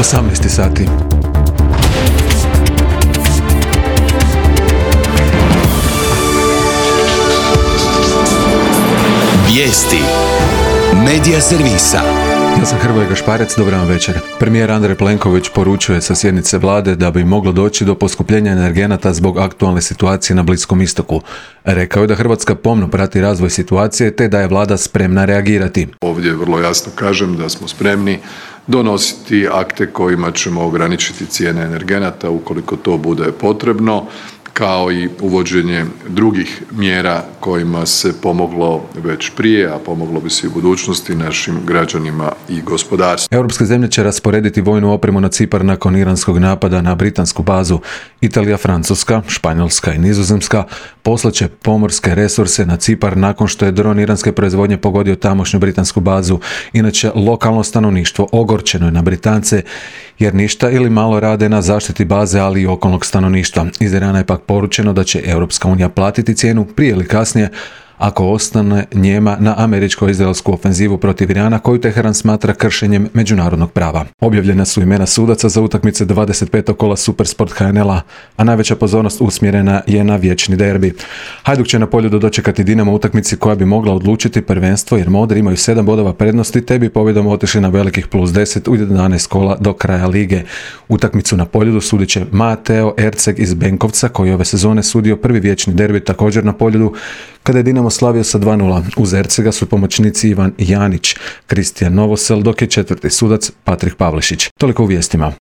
18 sati. Vijesti Medija servisa. Ja sam Hrvoje Gašparec, dobar vam večer. Premijer Andrej Plenković poručuje sa sjednice vlade da bi moglo doći do poskupljenja energenata zbog aktualne situacije na Bliskom istoku. Rekao je da Hrvatska pomno prati razvoj situacije te da je vlada spremna reagirati. Ovdje vrlo jasno kažem da smo spremni donositi akte kojima ćemo ograničiti cijene energenata ukoliko to bude potrebno, kao i uvođenje drugih mjera kojima se pomoglo već prije, a pomoglo bi se i u budućnosti našim građanima i gospodarstvu. Europske zemlje će rasporediti vojnu opremu na Cipar nakon iranskog napada na britansku bazu. Italija, Francuska, Španjolska i Nizozemska poslaće pomorske resurse na Cipar nakon što je dron iranske proizvodnje pogodio tamošnju britansku bazu. Inače, lokalno stanovništvo ogorčeno je na Britance jer ništa ili malo rade na zaštiti baze, ali i okolnog stanovništva. Iz Irana je pak poručeno da će Europska unija platiti cijenu prije ili kasnije ako ostane njema na američko-izraelsku ofenzivu protiv Irana koju Teheran smatra kršenjem međunarodnog prava. Objavljena su imena sudaca za utakmice 25. kola Supersport HNL-a, a najveća pozornost usmjerena je na vječni derbi. Hajduk će na Poljudu dočekati Dinamo u utakmici koja bi mogla odlučiti prvenstvo jer Modri imaju 7 bodova prednosti te bi pobjedom otišli na velikih +10 u 11 kola do kraja lige. Utakmicu na Poljudu sudit će Mateo Erceg iz Benkovca koji ove sezone sudio prvi vječni derbi također na Poljudu kada je Dinamo slavio sa 2:0. Uz Ercega su pomoćnici Ivan Janić, Kristijan Novosel, dok je četvrti sudac Patrik Pavlišić. Toliko u vijestima.